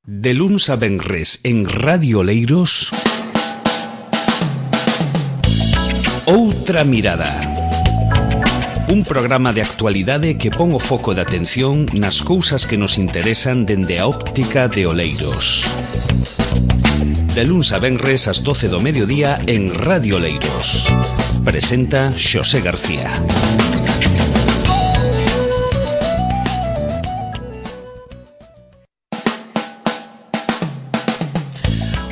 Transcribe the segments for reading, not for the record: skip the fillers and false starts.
De luns a venres en Radio Oleiros, Outra Mirada. Un programa de actualidade que pon o foco de atención nas cousas que nos interesan dende a óptica de Oleiros. De luns a venres ás 12 do mediodía en Radio Oleiros. Presenta Xosé García.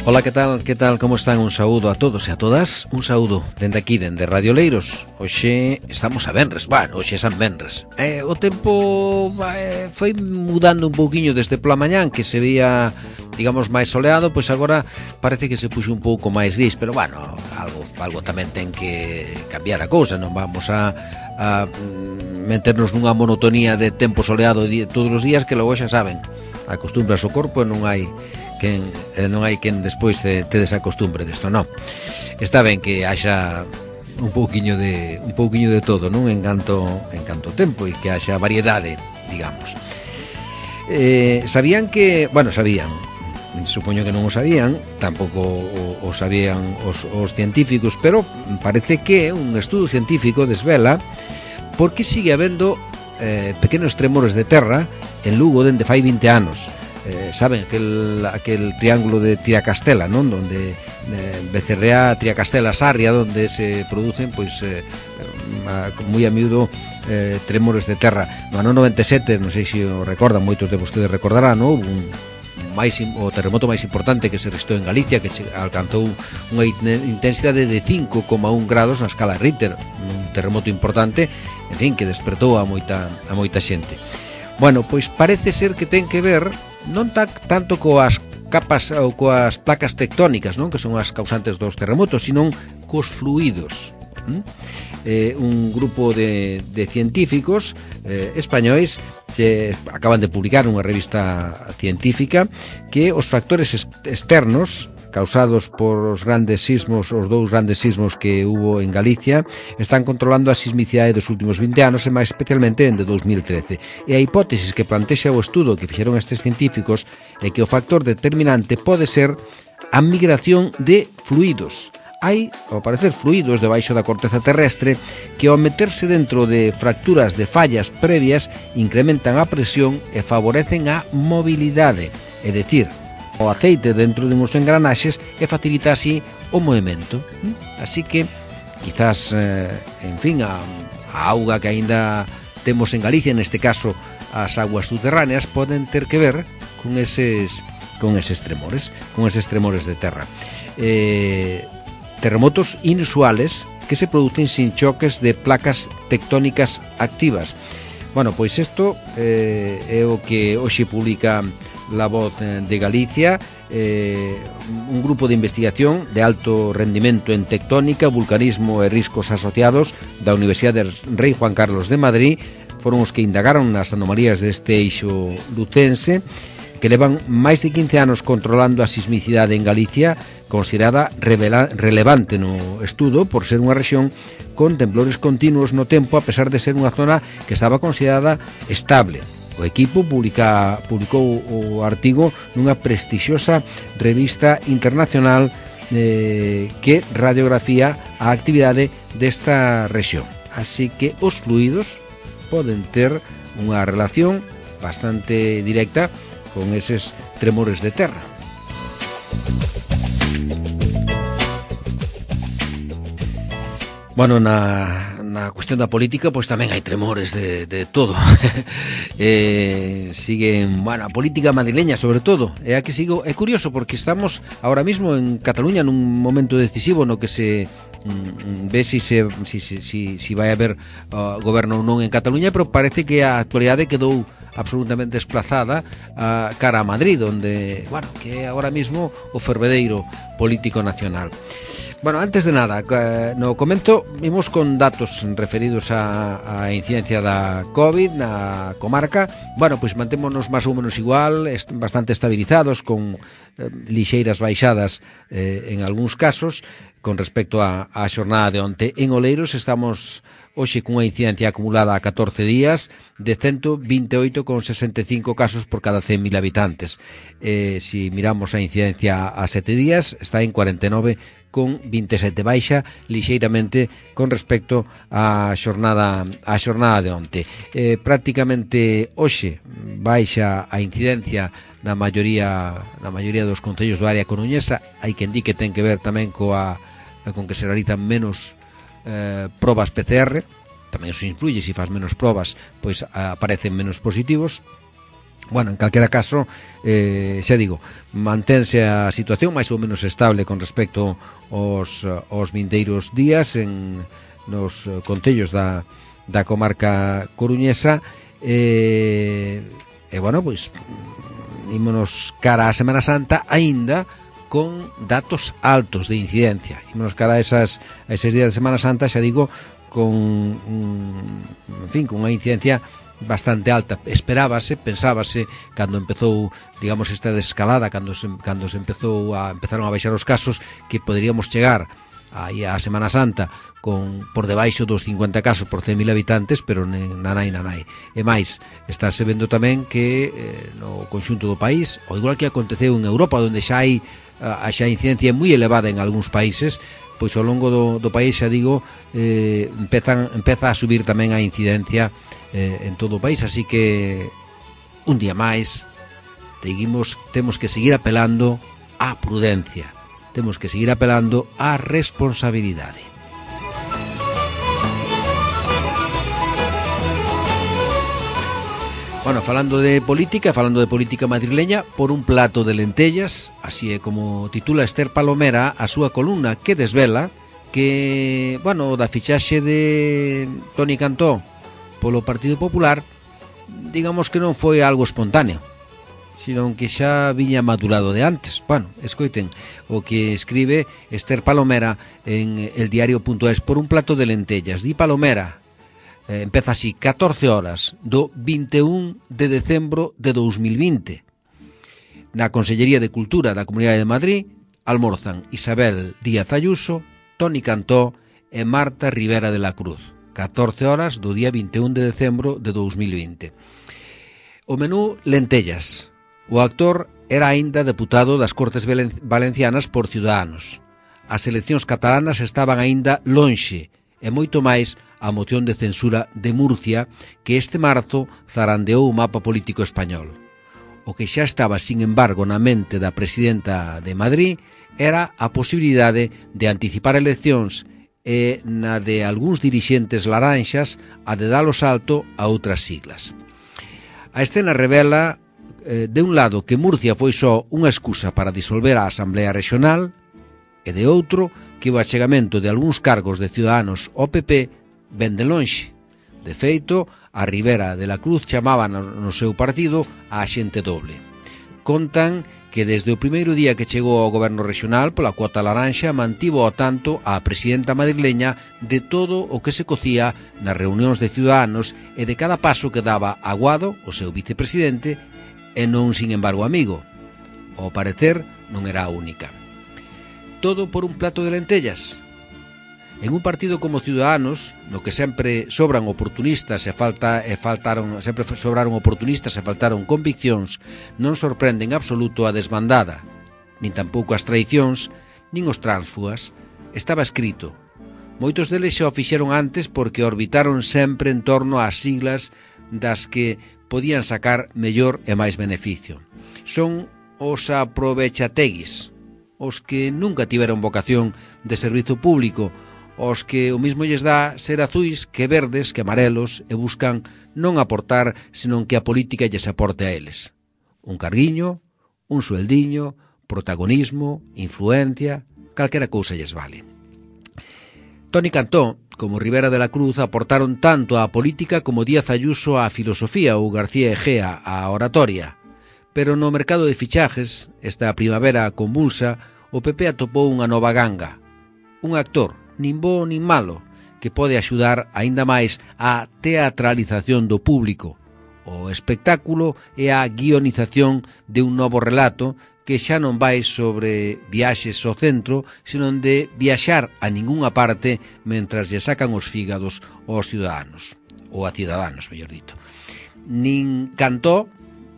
Ola, que tal, como están? Un saúdo a todos e a todas. Un saúdo dende aquí, dende Radio Oleiros. Hoxe estamos a venres, hoxe é San Venres. O tempo foi mudando un pouquiño desde pola mañán, que se veía, digamos, máis soleado, pois agora parece que se puxo un pouco máis gris, pero algo tamén ten que cambiar a cousa, non vamos a meternos nunha monotonía de tempo soleado todos os días, que logo xa saben, acostumbras o corpo e non hai quen despois te desacostumbre desto, non. Está ben que haxa un pouquiño de todo, non? En canto tempo, e que haxa variedade, digamos. Sabían, supoño que non o sabían, tampouco o sabían os científicos, pero parece que un estudo científico desvela por que sigue habendo pequenos tremores de terra en Lugo dende fai 20 anos. Saben, aquel triángulo de Tiracastela, non? Donde Becerrea, Tiracastela, Sarria, donde se producen moi a miúdo tremores de terra. No ano 97, non sei se o recordan, moitos de vostedes recordarán, non? O terremoto máis importante que se registrou en Galicia, que alcanzou unha intensidade de 5,1 grados na escala Richter, un terremoto importante, en fin, que despertou a moita xente. Bueno, pois parece ser que ten que ver non tanto coas capas ou coas placas tectónicas, non, que son as causantes dos terremotos, sino cos fluidos. Un grupo de científicos españois acaban de publicar unha revista científica que os factores externos causados por os dous grandes sismos que hubo en Galicia están controlando a sismicidade dos últimos 20 anos e máis especialmente en 2013. E a hipótesis que plantexa o estudo que fixeron estes científicos é que o factor determinante pode ser a migración de fluidos. Hai, ao parecer, fluidos debaixo da corteza terrestre que ao meterse dentro de fracturas de fallas previas incrementan a presión e favorecen a mobilidade, é dicir, o aceite dentro de uns engranaxes e facilita así o movimento. Así que, quizás, en fin, a auga que aínda temos en Galicia, neste caso as aguas subterráneas, poden ter que ver con eses tremores de terra. Terremotos inusuales que se producen sin choques de placas tectónicas activas. Bueno, pois isto é o que hoxe publica La Voz de Galicia, un grupo de investigación de alto rendimento en tectónica, vulcanismo e riscos asociados da Universidade Rei Juan Carlos de Madrid foron os que indagaron nas anomalías deste eixo lucense, que levan máis de 15 anos controlando a sismicidade en Galicia, considerada relevante no estudo por ser unha rexión con temblores continuos no tempo, a pesar de ser unha zona que estaba considerada estable. O equipo publicou o artigo nunha prestixiosa revista internacional que radiografía a actividade desta rexión. Así que os fluidos poden ter unha relación bastante directa con eses tremores de terra. Bueno, na cuestión da política, pois tamén hai tremores de todo. Siguen, a política madrileña sobre todo. É curioso porque estamos ahora mismo en Cataluña nun momento decisivo no que se ve si vai haber goberno ou non en Cataluña, pero parece que a actualidade quedou absolutamente desplazada cara a Madrid, onde, que é agora mismo o fervedeiro político nacional. Bueno, antes de nada, no comento, vimos con datos referidos a incidencia da COVID na comarca. Bueno, pois mantémonos máis ou menos igual, bastante estabilizados, con lixeiras baixadas en algúns casos, con respecto a xornada de onte. En Oleiros estamos hoxe cunha incidencia acumulada a 14 días de 128,65 casos por cada 100.000 habitantes. Si miramos a incidencia a 7 días, está en 49,27, baixa lixeiramente con respecto á xornada de onte. Prácticamente hoxe baixa a incidencia na maioría dos concellos do área coruñesa. Hai quen di que ten que ver tamén con que se realizan menos probas PCR, tamén iso influye, se faz menos probas pois aparecen menos positivos. Bueno, en calquera caso, xa digo, mantense a situación máis ou menos estable con respecto aos vindeiros días nos concellos da comarca coruñesa. Bueno, pois ímonos cara a Semana Santa aínda con datos altos de incidencia. Ímonos cara a eses días de Semana Santa, xa digo, con unha incidencia bastante alta. Pensábase, cando empezou, digamos, esta desescalada, cando empezaron a baixar os casos, que poderíamos chegar aí a Semana Santa por debaixo dos 50 casos por 100.000 habitantes, pero nanai. E máis, estáse vendo tamén que no conxunto do país, ou igual que aconteceu en Europa, onde xa hai a incidencia moi elevada en algúns países, pois ao longo do país, xa digo, empeza a subir tamén a incidencia en todo o país, así que un día máis temos que seguir apelando á prudencia, temos que seguir apelando á responsabilidade. Bueno, falando de política madrileña, por un plato de lentellas, así é como titula Esther Palomera a súa columna, que desvela que, bueno, da fichaxe de Toni Cantó polo Partido Popular, digamos que non foi algo espontáneo, sino que xa viña madurado de antes. Bueno, escoiten o que escribe Esther Palomera en eldiario.es, por un plato de lentellas. Di Palomera, empeza así: 14 horas do 21 de decembro de 2020. Na Consellería de Cultura da Comunidade de Madrid almorzan Isabel Díaz Ayuso, Toni Cantó e Marta Rivera de la Cruz. 14 horas do día 21 de decembro de 2020. O menú, lentellas. O actor era aínda deputado das Cortes Valencianas por Ciudadanos. As eleccións catalanas estaban aínda lonxe, e moito máis a moción de censura de Murcia, que este marzo zarandeou o mapa político español. O que xa estaba, sin embargo, na mente da presidenta de Madrid era a posibilidade de anticipar eleccións e na de algúns dirixentes laranxas a de dar o salto a outras siglas. A escena revela, de un lado, que Murcia foi só unha excusa para disolver a Asamblea Regional, e de outro, que o achegamento de algúns cargos de Ciudadanos ao PP ven de lonxe. De feito, a Rivera de la Cruz chamaba no seu partido a xente doble. Contan que desde o primeiro día que chegou ao goberno regional pola cuota laranxa mantivo ao tanto a presidenta madrileña de todo o que se cocía nas reunións de Ciudadanos e de cada paso que daba Aguado, o seu vicepresidente, e non, sin embargo, amigo. Ao parecer, non era a única. Todo por un plato de lentellas. En un partido como Ciudadanos, no que sempre sobran oportunistas e faltaron conviccións, non sorprende en absoluto a desbandada, nin tampouco as traicións, nin os tránsfugas. Estaba escrito. Moitos deles xa o fixeron antes porque orbitaron sempre en torno ás siglas das que podían sacar mellor e máis beneficio. Son os aprovechateguis, os que nunca tiveron vocación de servizo público, os que o mismo lles dá ser azuis que verdes, que amarelos, e buscan non aportar, senón que a política lles aporte a eles. Un carguiño, un sueldiño, protagonismo, influencia, calquera cousa lles vale. Toni Cantó, como Rivera de la Cruz, aportaron tanto á política como Díaz Ayuso á filosofía ou García Egea á oratoria. Pero no mercado de fichajes, esta primavera convulsa, o PP atopou unha nova ganga. Un actor, nin bo nin malo, que pode axudar aínda máis á teatralización do público, o espectáculo e a guionización de un novo relato que xa non vai sobre viaxes ao centro, senón de viaxar a ningunha parte mentras lle sacan os fígados aos ciudadanos, ou a cidadanos, mellor dito. Nin Cantó,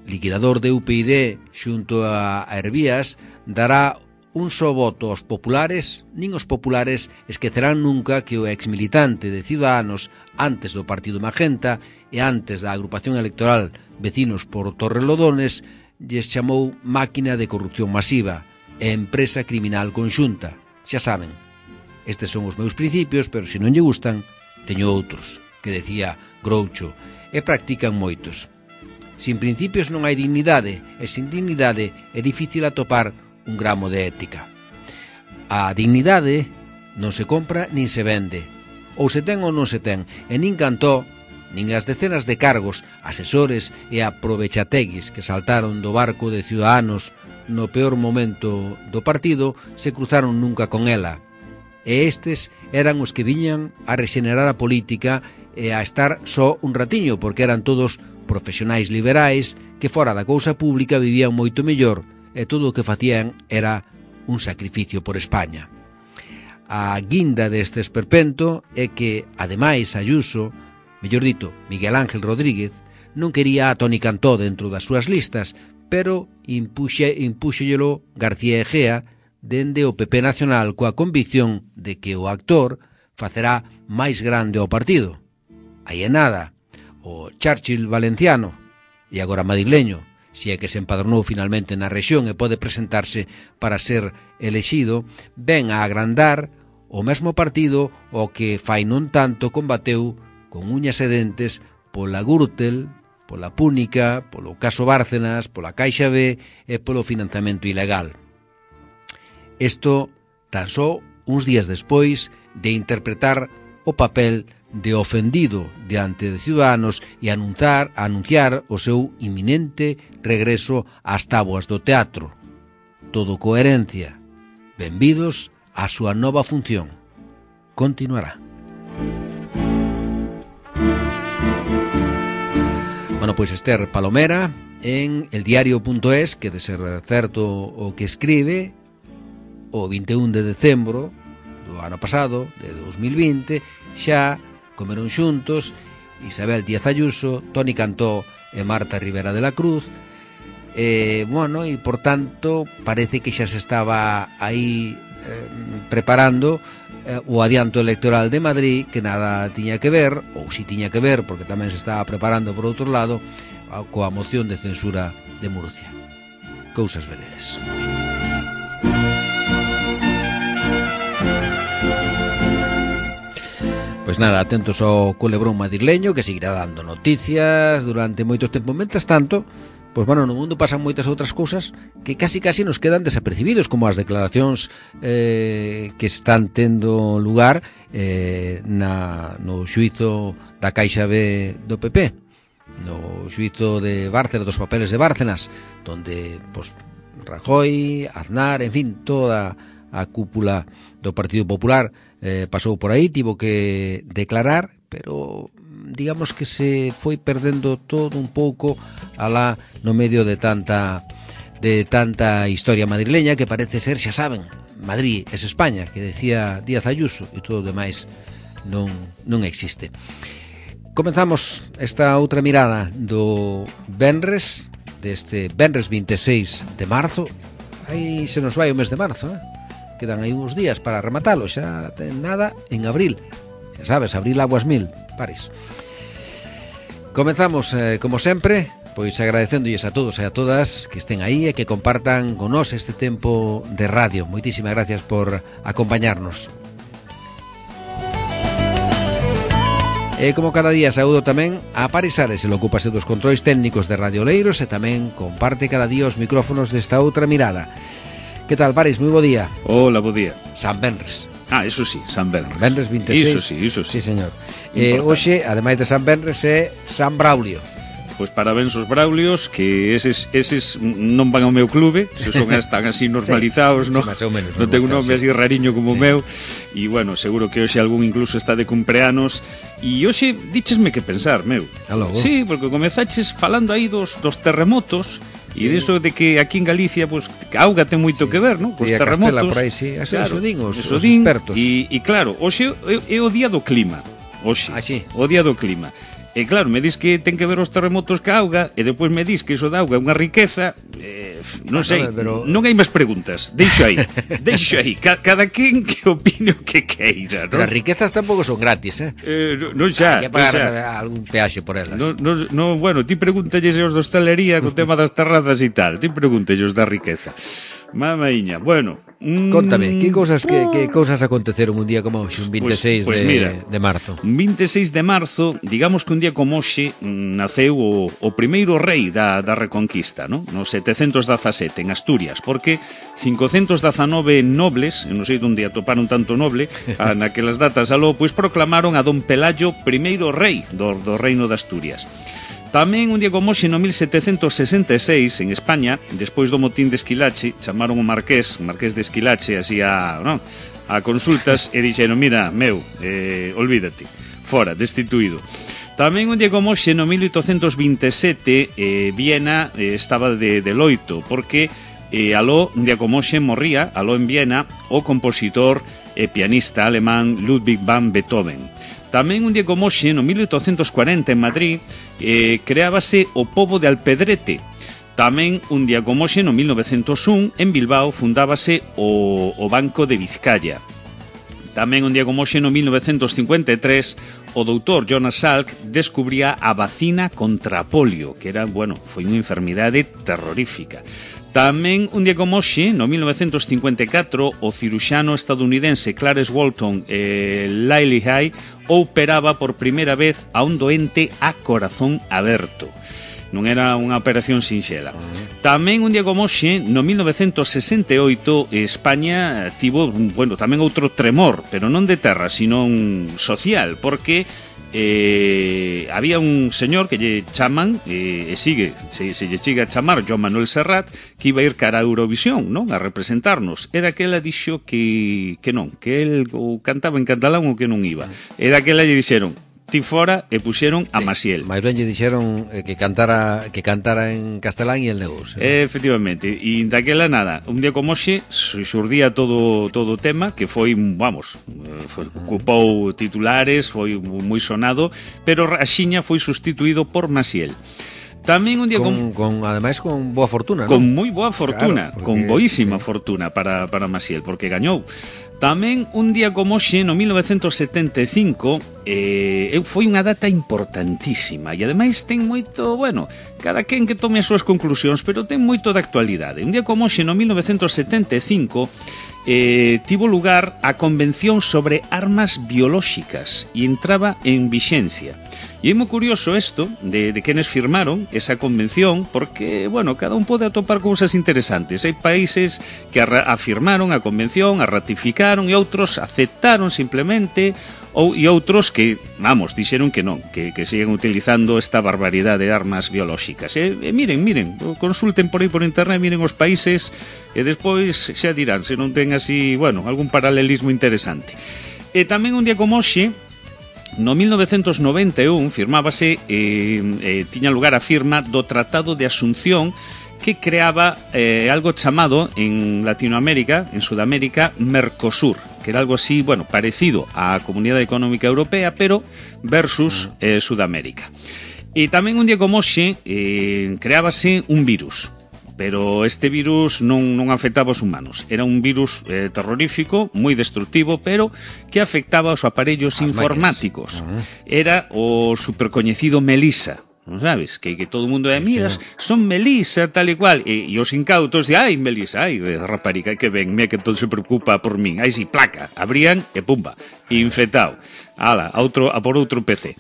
liquidador de UPyD xunto a Hervías, dará un só voto aos populares, nin os populares esquecerán nunca que o exmilitante de Ciudadanos antes do Partido Magenta e antes da agrupación electoral Vecinos por Torrelodones lles chamou máquina de corrupción masiva e empresa criminal conxunta. Xa saben, estes son os meus principios, pero se non lle gustan, teño outros, que decía Groucho, e practican moitos. Sin principios non hai dignidade, e sin dignidade é difícil atopar un gramo de ética. A dignidade non se compra nin se vende, ou se ten ou non se ten, e nin Cantó, nin as decenas de cargos, asesores e aprovechateguis que saltaron do barco de Ciudadanos no peor momento do partido se cruzaron nunca con ela. E estes eran os que viñan a rexenerar a política e a estar só un ratiño, porque eran todos profesionais liberais que fora da cousa pública vivían moito mellor e todo o que facían era un sacrificio por España. A guinda deste esperpento é que, ademais, Ayuso, mellor dito, Miguel Ángel Rodríguez, non quería a Toni Cantó dentro das súas listas, pero impúxollelo García Egea dende o PP Nacional coa convicción de que o actor facerá máis grande o partido. Aí é nada, o Churchill valenciano e agora madrileño, se é que se empadronou finalmente na rexión e pode presentarse para ser elexido, ven a agrandar o mesmo partido o que fai non tanto combateu con uñas e dentes pola Gürtel, pola Púnica, polo caso Bárcenas, pola Caixa B e polo financiamento ilegal. Isto tan só uns días despois de interpretar o papel de ofendido diante de Ciudadanos e anunciar o seu inminente regreso ás táboas do teatro. Todo coherencia. Benvidos á súa nova función. Continuará. Bueno, pois Esther Palomera en eldiario.es, que de ser certo o que escribe, o 21 de decembro do ano pasado, de 2020, xa comeron xuntos Isabel Díaz Ayuso, Toni Cantó e Marta Rivera de la Cruz, e por tanto parece que xa se estaba aí preparando o adianto electoral de Madrid, que nada tiña que ver, ou si tiña que ver, porque tamén se estaba preparando por outro lado, coa moción de censura de Murcia. Cousas veredes. Pois nada, atentos ao culebrón madrileño, que seguirá dando noticias durante moito tempo. Mentras tanto, pois no mundo pasan moitas outras cousas que casi nos quedan desapercibidos, como as declaracións que están tendo lugar no xuízo da Caixa B do PP, no xuízo de Bárcenas, dos papeles de Bárcenas, donde Rajoy, Aznar, en fin, toda a cúpula do Partido Popular pasou por aí, tivo que declarar, pero digamos que se foi perdendo todo un pouco alá no medio de tanta historia madrileña, que parece ser, xa saben, Madrid es España, que decía Díaz Ayuso, e todo o demais non existe. Comenzamos esta outra mirada do venres, deste venres 26 de marzo. Aí se nos vai o mes de marzo, quedan aí uns días para rematalo, xa ten nada en abril. Xa sabes, abril aguas mil, pares. Comenzamos, como sempre, pois agradecéndolles a todos e a todas que estén aí e que compartan con nós este tempo de radio. Moitísimas gracias por acompañarnos. E como cada día saúdo tamén a Paris Ares, el ocúpase dos controis técnicos de Radio Oleiros e tamén comparte cada día os micrófonos desta outra mirada. Que tal, Paris? Moi bo día. Hola, bo día. San Benres. Eso sí, San Benres. Benres 26. Iso sí. Sí, señor. Hoxe, ademais de San Benres, é San Braulio. pois parabéns aos Braulios, que eses non van ao meu clube, se son están así normalizados, non ten un nome así rariño como o meu, e bueno, seguro que hoxe algún incluso está de cumpleanos, e hoxe díchesme que pensar, meu. Sí, porque comezaches falando aí dos terremotos, e diso de que aquí en Galicia pues, a auga ten moito que ver, non? Cos terremotos. Por aí, sí. Claro, eso din os expertos. E claro, hoxe é o día do clima. Hoxe, o día do clima. E claro, me dis que ten que ver os terremotos ca auga, e depois me dis que iso da auga é unha riqueza, non sei, pero... non hai máis preguntas. Deixo aí. Cada quen que opine o que queira, non? Pero as riquezas tampouco son gratis, Non xa. Hai que pagar algún peaxe por elas. No, bueno, ti pregúntalles os de hostalería co tema das terrazas e tal. Ti pregúntalles da riqueza. Mamaiña, bueno. Contame, que cousas aconteceron un día como hoxe, un 26 de marzo? Un 26 de marzo, digamos que un día como hoxe naceu o primeiro rei da Reconquista, ¿no? No 717 en Asturias, porque 519 nobles, non sei onde atoparon tanto noble, naquelas datas aló, pois proclamaron a don Pelayo primeiro rei do reino de Asturias. Tamén un día como hoxe no 1766 en España, despois do motín de Esquilache, chamaron o marqués de Esquilache así a consultas e dixeron, mira, olvídate, fora, destituído. Tamén un día como hoxe no 1827 Viena estaba de loito, porque aló, un día como hoxe morría, aló en Viena, o compositor e pianista alemán Ludwig van Beethoven. Tamén un día como hoxe, no 1840 en Madrid, creábase o pobo de Alpedrete. Tamén un día como hoxe, no 1901, en Bilbao, fundábase o Banco de Vizcaya. Tamén un día como hoxe, no 1953, o doutor Jonas Salk descubría a vacina contra a polio, que era, foi unha enfermidade terrorífica. Tamén un día como hoxe, no 1954, o ciruxano estadounidense Clarence Walton Lillehei operaba por primeira vez a un doente a corazón aberto. Non era unha operación sinxela. Tamén un día como hoxe, no 1968, España tivo, tamén outro tremor, pero non de terra, sino social, porque había un señor que lle chaman se lle chega a chamar Joan Manuel Serrat, que iba a ir cara a Eurovisión, non? A representarnos, e daquela dixo que non, que el cantaba en catalán ou que non iba, e daquela lle dixeron ti fora e puxeron a Maciel. Mais ben lle dixeron que cantara en castelán e el negocio. Efectivamente, e daquela nada, un día como hoxe xurdía todo o tema que foi, ocupou titulares, foi moi sonado, pero axiña foi sustituído por Maciel. Tamén un día ademais con boa fortuna, non? Con moi boa fortuna, claro, con boísima fortuna para Maciel, porque gañou. Tamén un día como hoxe, no 1975, foi unha data importantísima e ademais ten moito, cada quen que tome as súas conclusións, pero ten moito de actualidade. Un día como hoxe, no 1975, tivo lugar a Convención sobre Armas Biolóxicas e entraba en vixencia. E é moi curioso isto de quenes firmaron esa convención, porque, cada un pode atopar cousas interesantes. Hai países que afirmaron a convención, a ratificaron, e outros aceptaron simplemente, e outros que, dixeron que non, que siguen utilizando esta barbaridade de armas biolóxicas. E miren, consulten por aí por internet, miren os países, e despois xa dirán se non ten así, algún paralelismo interesante. E tamén un día como hoxe, no 1991 firmábase, tiña lugar a firma do Tratado de Asunción, que creaba algo chamado en Latinoamérica, en Sudamérica, Mercosur, que era algo así, parecido á Comunidade Económica Europea, pero versus Sudamérica. E tamén un día como hoxe creábase un virus, pero este virus non afectaba aos humanos. Era un virus terrorífico, moi destructivo, pero que afectaba aos aparellos informáticos. Era o supercoñecido Melissa, non sabes? Que todo o mundo mira, son Melissa, tal e cual, e os incautos de, Melissa, rapariga, que ven, mira que todo se preocupa por min, si, placa, abrían e pumba, infectado, a por outro PC.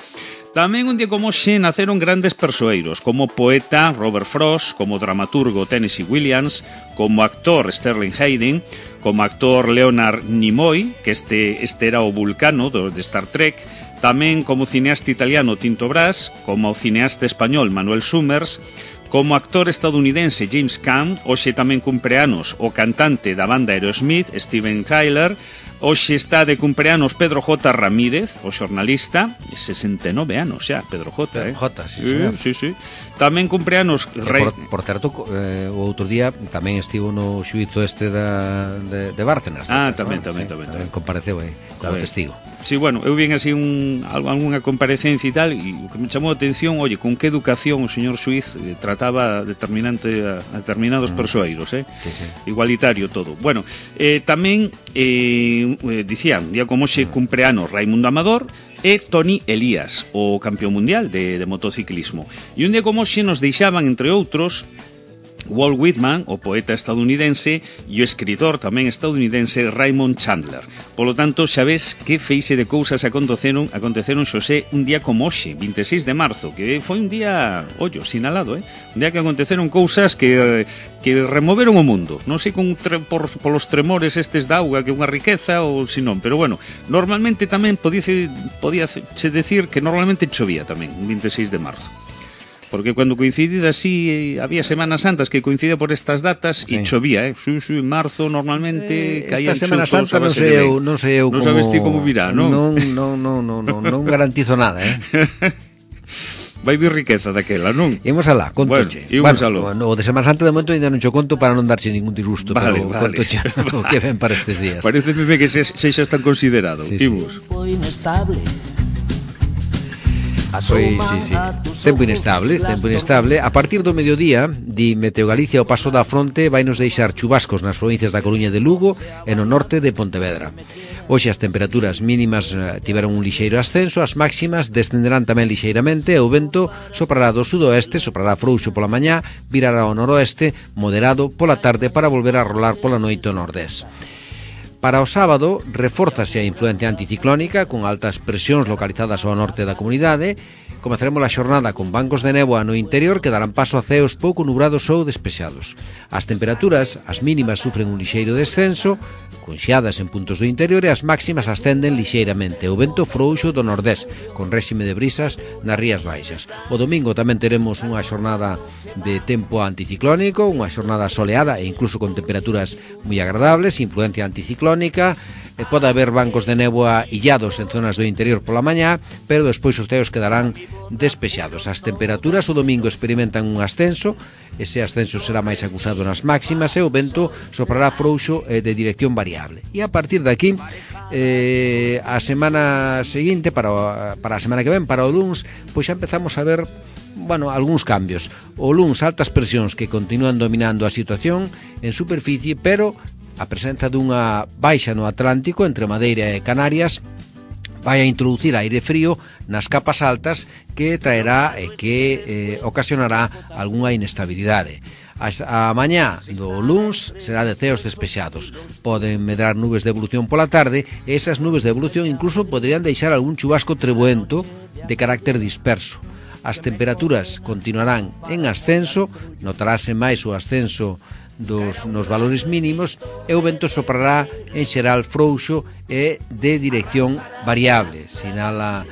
Tamén un día como hoxe naceron grandes persoeiros, como poeta Robert Frost, como dramaturgo Tennessee Williams, como actor Sterling Hayden, como actor Leonard Nimoy, que este era o Vulcano de Star Trek, tamén como cineasta italiano Tinto Brass, como o cineasta español Manuel Summers, como actor estadounidense James Caan, hoxe tamén cumpleanos o cantante da banda Aerosmith, Steven Tyler. Hoxe está de cumpleanos Pedro J. Ramírez, o xornalista, 69 anos xa, Pedro J. Pedro J, sí, señor. Sí. Tamén cumpleanos... Por certo, o outro día tamén estivo no xuízo este de Bárcenas. Tamén. Compareceu como testigo. Sí, bueno, eu vin así algunha comparecencia e tal, e o que me chamou a atención, oye, con que educación o señor xuiz trataba a determinados persoeiros, Sí. Igualitario todo. Bueno, tamén dicían, día como xe cumpleanos Raimundo Amador e Toni Elías, o campeón mundial de motociclismo. E un día como xe nos deixaban, entre outros, Walt Whitman, o poeta estadounidense, e o escritor tamén estadounidense Raymond Chandler. Polo tanto, xa ves que feixe de cousas aconteceron Xosé un día como hoxe, 26 de marzo, que foi un día, sinalado, un día que aconteceron cousas que removeron o mundo. Non sei polos tremores estes da auga, que é unha riqueza ou senón, pero bueno, normalmente tamén podíase decir que normalmente chovía tamén, un 26 de marzo. Porque cando coincidida así, había Semanas Santas que coincide por estas datas e chovía, Sí, en marzo normalmente caían chuzos. Esta Semana Santa non sei eu como... Non sabes ti como virá, non? Non garantizo nada, Vai vir riqueza daquela, non? Imos alá, contoche. Bueno, o de Semana Santa de momento ainda non cho conto para non darche ningún disgusto, vale. Contoche o que ven para estes días. Pareceme que xa está considerado. Imos. Pois, sí. Tempo inestable. A partir do mediodía, di Meteo Galicia, o paso da fronte vai nos deixar chubascos nas provincias da Coruña e de Lugo e no norte de Pontevedra. Hoxe as temperaturas mínimas tiveron un lixeiro ascenso, as máximas descenderán tamén lixeiramente e o vento soprará do sudoeste, soprará frouxo pola mañá, virará ao noroeste, moderado pola tarde para volver a rolar pola noite ao nordés. Para o sábado, refórzase a influencia anticiclónica con altas presións localizadas ao norte da comunidade. Comezaremos a xornada con bancos de néboa no interior que darán paso a ceos pouco nubrados ou despexados. As temperaturas, as mínimas sufren un lixeiro descenso, con xeadas en puntos do interior e as máximas ascenden lixeiramente. O vento frouxo do nordés, con réxime de brisas nas rías baixas. O domingo tamén teremos unha xornada de tempo anticiclónico, unha xornada soleada e incluso con temperaturas moi agradables, influencia anticiclónica. Pode haber bancos de néboa illados en zonas do interior pola mañá, pero despois os ceos quedarán despexados. As temperaturas o domingo experimentan un ascenso, ese ascenso será máis acusado nas máximas e o vento soprará frouxo e de dirección variable. E a partir de aquí, a semana seguinte, para a semana que ven, para o luns, pois xa empezamos a ver algúns cambios. O luns, altas presións que continúan dominando a situación en superficie, pero a presenza dunha baixa no Atlántico entre Madeira e Canarias vai a introducir aire frío nas capas altas que traerá e que ocasionará algunha inestabilidade. A mañá do luns será de ceos despexados. Poden medrar nubes de evolución pola tarde e esas nubes de evolución incluso poderían deixar algún chubasco treboento de carácter disperso. As temperaturas continuarán en ascenso, notarase máis o ascenso nos valores mínimos e o vento soprará en xeral frouxo e de dirección variable, sinala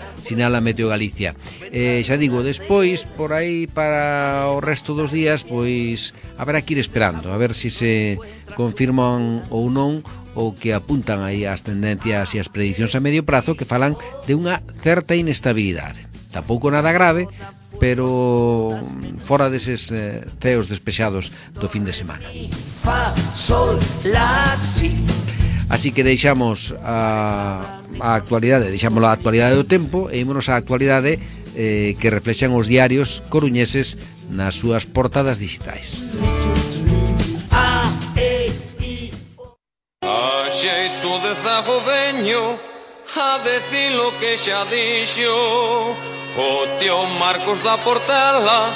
Meteo Galicia. Xa digo, despois, por aí para o resto dos días, pois haberá que ir esperando, a ver se confirman ou non o que apuntan aí as tendencias e as predicións a medio prazo que falan de unha certa inestabilidade. Tampouco nada grave, pero fora deses ceos despexados do fin de semana. Así que deixamos a actualidade, deixámoslo a actualidade do tempo e ímonos á actualidade que reflexan os diarios coruñeses nas súas portadas digitais. A xeito de zagoveño a decir lo que xa dixo o tío Marcos da Portela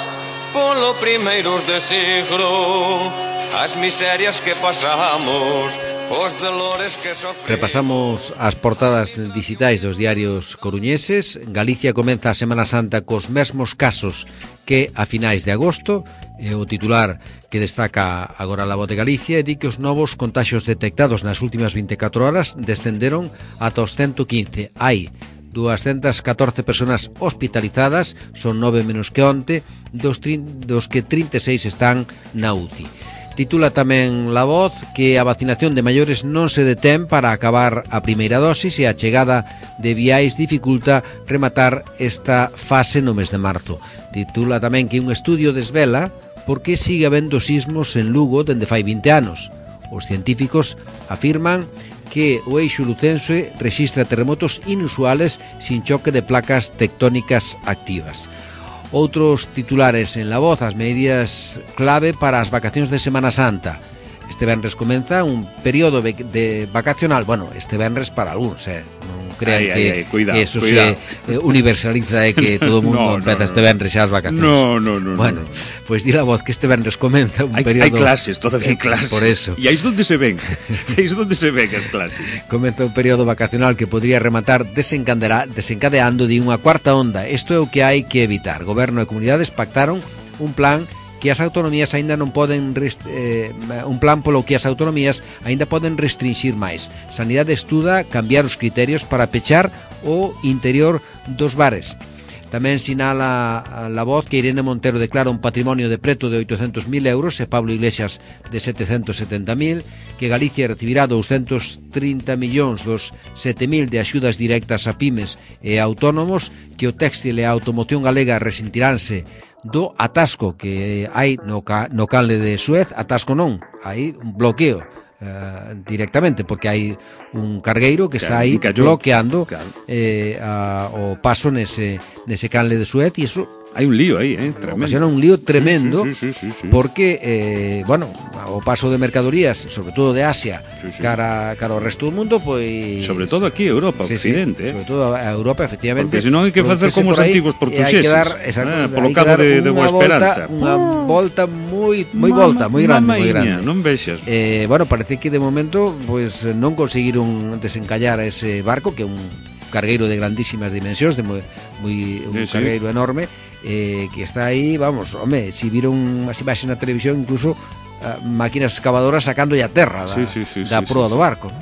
polo primeiros de siglo, as miserias que pasamos, os dolores que sofremos. Repasamos as portadas digitais dos diarios coruñeses. Galicia comeza a Semana Santa cos mesmos casos que a finais de agosto. O titular que destaca agora La Voz de Galicia e di que os novos contaxios detectados nas últimas 24 horas descenderon ata os 115. Hai 214 personas hospitalizadas, son 9 menos que onte, dos que 36 están na UCI. Titula tamén La Voz que a vacinación de maiores non se detén para acabar a primeira dosis e a chegada de viais dificulta rematar esta fase no mes de marzo. Titula tamén que un estudio desvela por que sigue habendo sismos en Lugo dende fai 20 anos. Os científicos afirman que o eixo lucense rexistra terremotos inusuales sin choque de placas tectónicas activas. Outros titulares en La Voz, as medidas clave para as vacacións de Semana Santa. Este venres comeza un período de vacacional, bueno, este venres para algúns, non crean que cuidado, eso se universaliza de que todo o mundo empeza este venres xa as vacacións. No. Bueno, pois di La Voz que este venres comeza un período... Hai clases, todavía hai clases. Por eso. E aí é onde se ven, as clases. Comeza un período vacacional que podría rematar desencadeando de unha cuarta onda. Isto é o que hai que evitar. Goberno e comunidades pactaron un plan que as autonomías aínda non poden un plan polo que as autonomías aínda poden restringir máis. Sanidade estuda cambiar os criterios para pechar o interior dos bares. Tamén sinala La Voz que Irene Montero declara un patrimonio de preto de 800.000 euros e Pablo Iglesias de 770.000, que Galicia recibirá 230 millóns dos 7.000 de axudas directas a pymes e autónomos, que o téxtil e a automoción galega resentiránse do atasco que hai no canle de Suez. Atasco non, hai un bloqueo directamente, porque hai un cargueiro que está aí bloqueando o paso nese canle de Suez, e iso hai un lío aí, tremendo. Ocasiona un lío tremendo, sí. porque, o paso de mercadorías, sobre todo de Asia, cara ao resto do mundo, pois... Sobre todo aquí, Europa, Occidente. Sobre todo a Europa, efectivamente. Porque senón hai que facer como os antigos portugueses. Polo cabo de Boa Esperanza. Unha volta moi grande. Non vexas. Bueno, parece que de momento pois non conseguiron desencallar ese barco, que é un cargueiro de grandísimas dimensións, un cargueiro enorme, que está aí, vamos, home, si viron as imaxes na televisión, incluso máquinas excavadoras sacándolle a terra da proa do barco.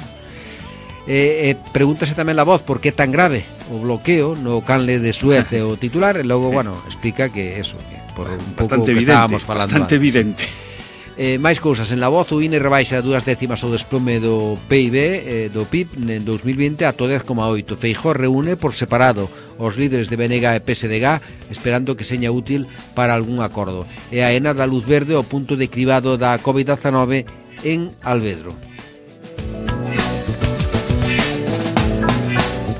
Pregúntase tamén La Voz por que é tan grave o bloqueo no canle de Suez, o titular, e logo, bueno, explica que eso, que por un pouco que estábamos falando bastante evidente. Máis cousas en La Voz. O INE rebaixa 2 décimas o desplome do PIB, do PIB en 2020 a 10,8. Feijóo reúne por separado os líderes de BNG e PSDG esperando que seña útil para algún acordo. E a ENA dá luz verde ao punto de cribado da COVID-19 en Alvedro.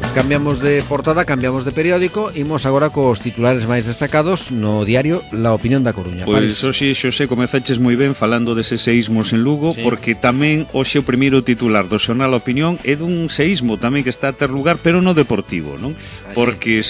Cambiamos de portada, cambiamos de periódico, imos agora cos titulares máis destacados no diario La Opinión da Coruña. Pois hoxe, Xosé, comezaches moi ben falando deses seísmos en Lugo, porque tamén hoxe o primeiro titular do xornal La Opinión é dun seísmo tamén que está a ter lugar, pero no Deportivo, non? Porque,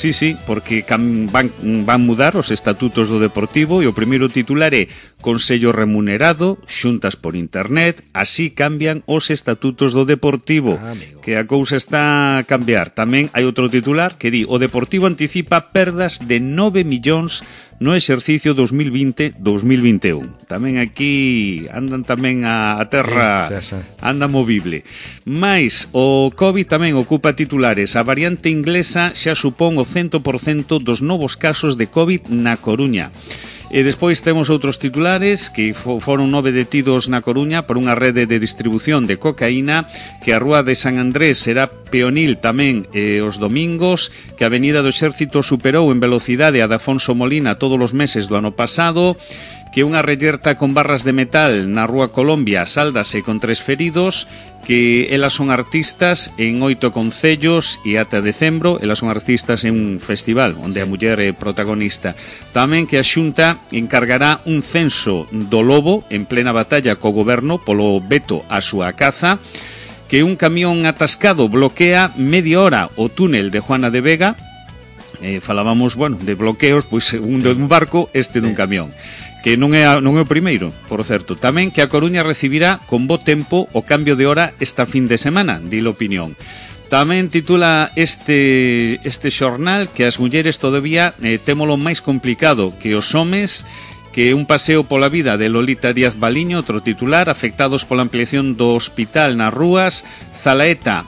porque van mudar os estatutos do Deportivo, e o primeiro titular é Consello remunerado, xuntas por internet, así cambian os estatutos do Deportivo, que a cousa está a cambiar. Tamén hai outro titular que di: o Deportivo anticipa perdas de 9 millóns no exercicio 2020-2021. Tamén aquí andan tamén a terra, anda movible. Mais o COVID tamén ocupa titulares. A variante inglesa xa supón o 100% dos novos casos de COVID na Coruña. E despois temos outros titulares que foron 9 detidos na Coruña por unha rede de distribución de cocaína, que a Rúa de San Andrés será peonil tamén os domingos, que a Avenida do Exército superou en velocidade a de Afonso Molina todos os meses do ano pasado, que unha rellerta con barras de metal na Rúa Colombia sáldase con 3 feridos, que elas son artistas en 8 concellos e ata decembro elas son artistas en un festival onde a muller é protagonista. Tamén que a Xunta encargará un censo do lobo en plena batalla co goberno polo veto á súa caza, que un camión atascado bloquea media hora o túnel de Juana de Vega. Falábamos, de bloqueos, pois un dun barco, este dun camión, que non é o primeiro, por certo. Tamén que a Coruña recibirá con bo tempo o cambio de hora esta fin de semana, di La Opinión. Tamén titula este xornal que as mulleres todavía témolo máis complicado que os homes, que un paseo pola vida de Lolita Díaz Baliño, outro titular, afectados pola ampliación do hospital nas rúas. Zalaeta,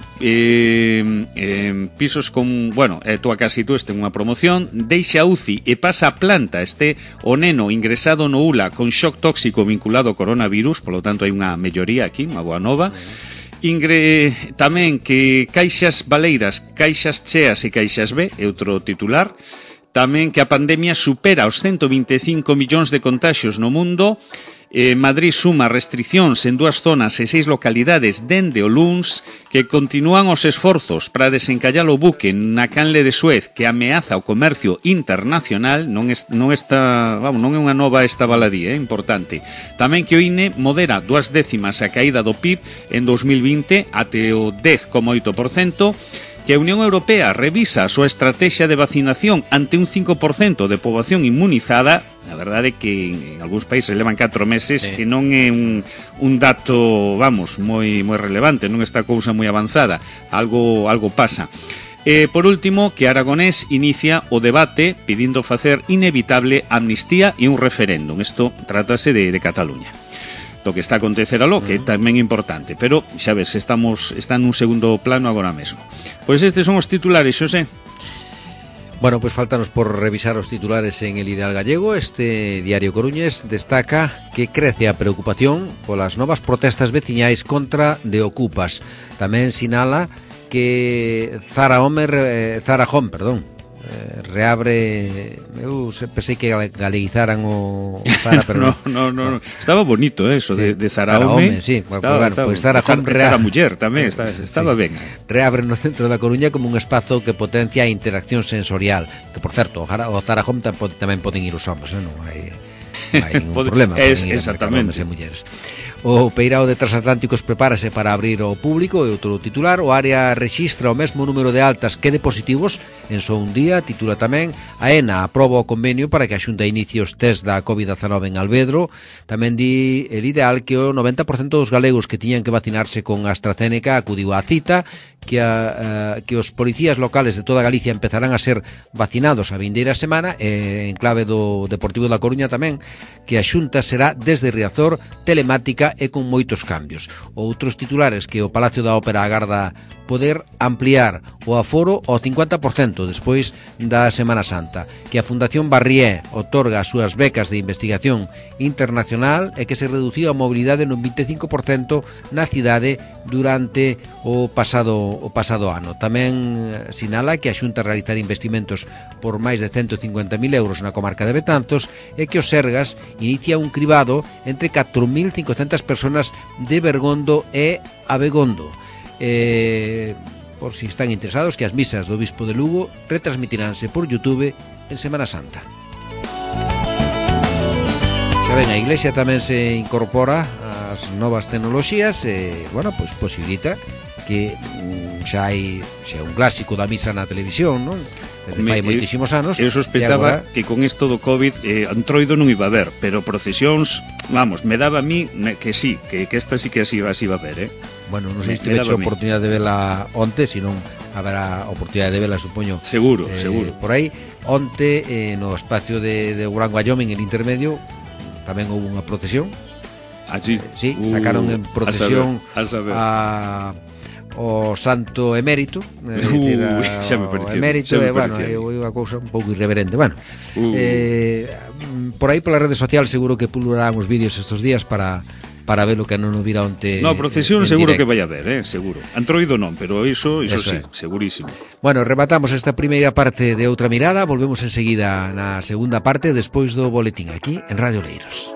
pisos con, bueno, tú a casi tú este unha promoción, deixa UCI e pasa a planta, este o neno ingresado no ULA con shock tóxico vinculado ao coronavirus, polo tanto hai unha melloría aquí, unha boa nova. Tamén que caixas baleiras, caixas cheas e caixas B, é outro titular. Tamén que a pandemia supera os 125 millóns de contaxios no mundo. Madrid suma restriccións en 2 zonas e 6 localidades dende o luns, que continúan os esforzos para desencallar o buque na canle de Suez que ameaza o comercio internacional. Non é unha nova esta baladí, importante. Tamén que o INE modera 2 décimas a caída do PIB en 2020 até o 10,8%, que a Unión Europea revisa a súa estrategia de vacinación ante un 5% de poboación inmunizada. A verdade é que en algúns países levan 4 meses, que non é un dato, moi relevante, non está cousa moi avanzada, algo pasa. Por último, que Aragonés inicia o debate pidindo facer inevitable amnistía e un referéndum. Isto trátase de Cataluña, do que está a acontecer aló, que é tamén importante, pero xa ves, está nun segundo plano agora mesmo. Pois estes son os titulares, Xosé. Bueno, pues faltanos por revisar os titulares en El Ideal Gallego. Este diario coruñés destaca que crece a preocupación polas novas protestas veciñais contra de Ocupas. Tamén sinala que Zara Home, reabre. Eu pensei que galeguizaran o Zara, pero no. Estaba bonito eso, sí, de Zara Home. Sí, estaba, pues Zara Home Zara Muller tamén, estaba ben. Reabre no centro da Coruña como un espazo que potencia a interacción sensorial. Que, por certo, o Zara Home tamén poden ir os homes, non hai ningún problema. Exactamente. Homes e mulleres. O Peirao de Transatlánticos prepárase para abrir ao público, e outro titular. O área rexistra o mesmo número de altas que de positivos en só un día. Titula tamén: a ENA aproba o convenio para que a Xunta inicie os test da COVID-19 en Alvedro. Tamén di El Ideal que o 90% dos galegos que tiñan que vacinarse con AstraZeneca acudiu á cita, que os policías locales de toda Galicia empezarán a ser vacinados a vindeira semana, en clave do Deportivo da Coruña tamén, que a Xunta será desde Riazor, telemática e con moitos cambios. Outros titulares: que o Palacio da Ópera agarda poder ampliar o aforo ao 50% despois da Semana Santa, que a Fundación Barrié otorga as súas becas de investigación internacional e que se reduciu a mobilidade nun 25% na cidade durante o pasado ano. Tamén sinala que a Xunta realizará investimentos por máis de 150.000 euros na comarca de Betanzos e que o Sergas inicia un cribado entre 4.500 personas de Bergondo e Abegondo. Por si están interesados, que as misas do Obispo de Lugo retransmitiránse por YouTube en Semana Santa. Xa ven, a Iglesia tamén se incorpora ás novas tecnoloxías e, bueno, pois posibilita que xa é un clásico da misa na televisión, non? Desde fai moitísimos anos. Eu sospechaba que con isto do COVID Antroido non iba a ver, pero procesións, me daba a mí que sí, que esta sí que así iba a ver, Bueno, non sei se tivete a oportunidade de vela onte, senón haberá oportunidade de vela, supoño. Seguro. Por aí, onte, no espacio de Gran Wyoming, en intermedio, tamén houve unha procesión. Allí? Sí, sacaron en procesión o santo emérito, xa me pareció, emérito, bueno, é unha cousa un pouco irreverente. Bueno, por aí pola rede social seguro que pulularán os vídeos estes días para ver o que non o vira onte. No, procesión seguro que vai a ver, seguro. Antroido non, pero iso sí, segurísimo. Bueno, rematamos esta primeira parte de Outra Mirada, volvemos enseguida na segunda parte despois do boletín aquí en Radio Oleiros.